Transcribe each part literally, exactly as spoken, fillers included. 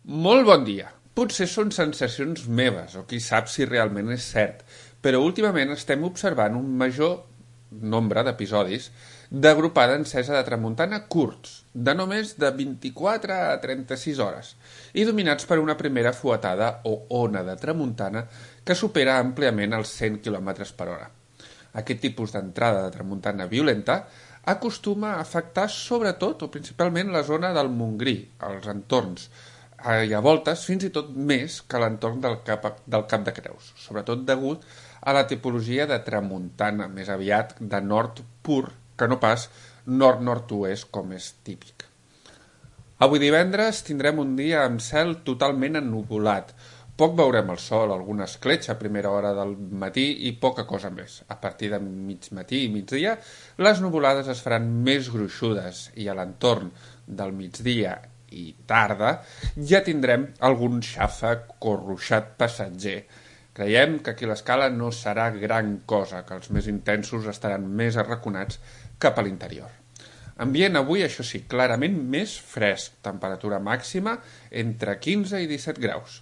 Molt bon dia. Potser són sensacions meves, o qui sap si realment és cert, però últimament estem observant un major nombre d'episodis d'agrupada encesa de tramuntana curts, de només de vint-i-quatre a trenta-sis hores, i dominats per una primera fuetada o ona de tramuntana que supera àmpliament els cent quilòmetres per hora. Aquest tipus d'entrada de tramuntana violenta acostuma a afectar sobretot o principalment la zona del Montgrí, els entorns, i a voltes fins i tot més que l'entorn del cap, del Cap de Creus, sobretot degut a la tipologia de tramuntana, més aviat de nord pur que no pas nord-nord-oest com és típic. Avui divendres tindrem un dia amb cel totalment ennuvolat. Poc veurem el sol, alguna escletxa a primera hora del matí i poca cosa més. A partir de mig matí i migdia, les nuvolades es faran més gruixudes i a l'entorn del migdia i tarda ja tindrem algun xàfec o ruixat passatger. Creiem que aquí l'escala no serà gran cosa, que els més intensos estaran més arraconats cap a l'interior. Ambient avui, això sí, clarament més fresc, temperatura màxima entre quinze i disset graus.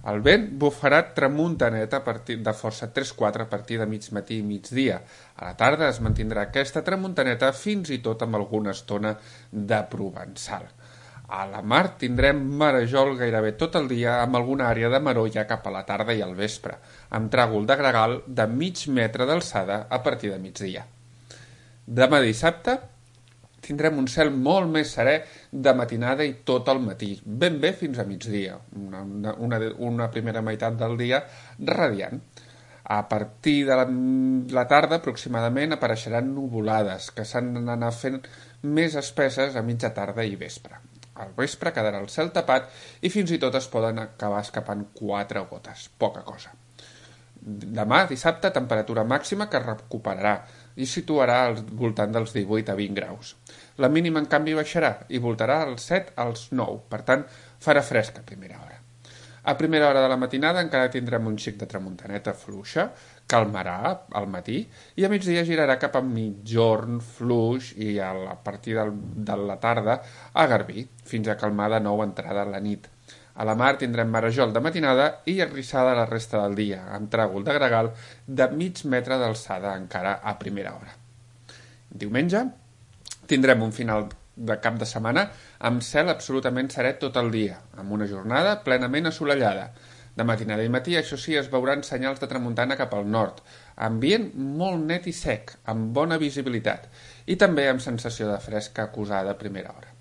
El vent bufarà tramuntaneta a partir de força tres quatre a partir de mig matí i migdia. A la tarda es mantindrà aquesta tramuntaneta fins i tot amb alguna estona de provençal. A la mar tindrem marejol gairebé tot el dia amb alguna àrea de maró ja cap a la tarda i al vespre, amb tràgol de gregal de mig metre d'alçada a partir de migdia. Demà dissabte tindrem un cel molt més serè de matinada i tot el matí, ben bé fins a migdia, una, una, una primera meitat del dia radiant. A partir de la, la tarda aproximadament apareixeran nuvolades que s'han d'anar fent més espesses a mitja tarda i vespre. Al vespre quedarà el cel tapat i fins i tot es poden acabar escapant quatre gotes, poca cosa. Demà, dissabte, temperatura màxima que recuperarà i situarà al voltant dels divuit a vint graus. La mínima, en canvi, baixarà i voltarà als set als nou, per tant, farà fresca a primera hora. A primera hora de la matinada encara tindrem un xic de tramuntaneta fluixa, calmarà al matí i a migdia girarà cap a mitjorn fluix i a, la, a partir del, de la tarda a garbí, fins a calmar de nou entrada a la nit. A la mar tindrem marejol de matinada i arrissada la resta del dia, amb tràgol de gregal de mig metre d'alçada encara a primera hora. Diumenge tindrem un final de cap de setmana amb cel absolutament serè tot el dia, amb una jornada plenament assolellada. De matinada i matí, això sí, es veuran senyals de tramuntana cap al nord, ambient molt net i sec, amb bona visibilitat, i també amb sensació de fresca acusada a primera hora.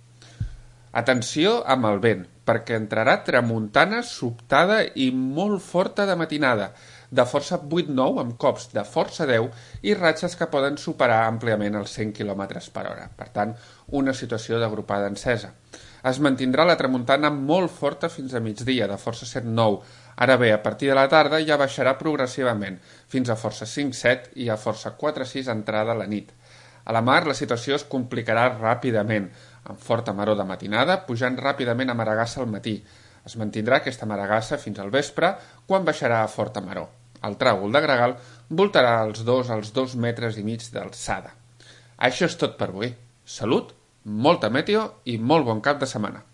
Atenció amb el vent, perquè entrarà tramuntana sobtada i molt forta de matinada, de força vuit nou amb cops de força deu i ratxes que poden superar àmpliament els cent quilòmetres per hora. Per tant, una situació d'agrupada encesa. Es mantindrà la tramuntana molt forta fins a migdia, de força set nou. Ara bé, a partir de la tarda ja baixarà progressivament, fins a força cinc set i a força quatre sis entrada a la nit. A la mar la situació es complicarà ràpidament, amb forta maror de matinada, pujant ràpidament a Maragassa al matí. Es mantindrà aquesta Maragassa fins al vespre, quan baixarà a forta maror. El tràgol de gregal voltarà als dos als dos metres i mig d'alçada. Això és tot per avui. Salut, molta meteo i molt bon cap de setmana.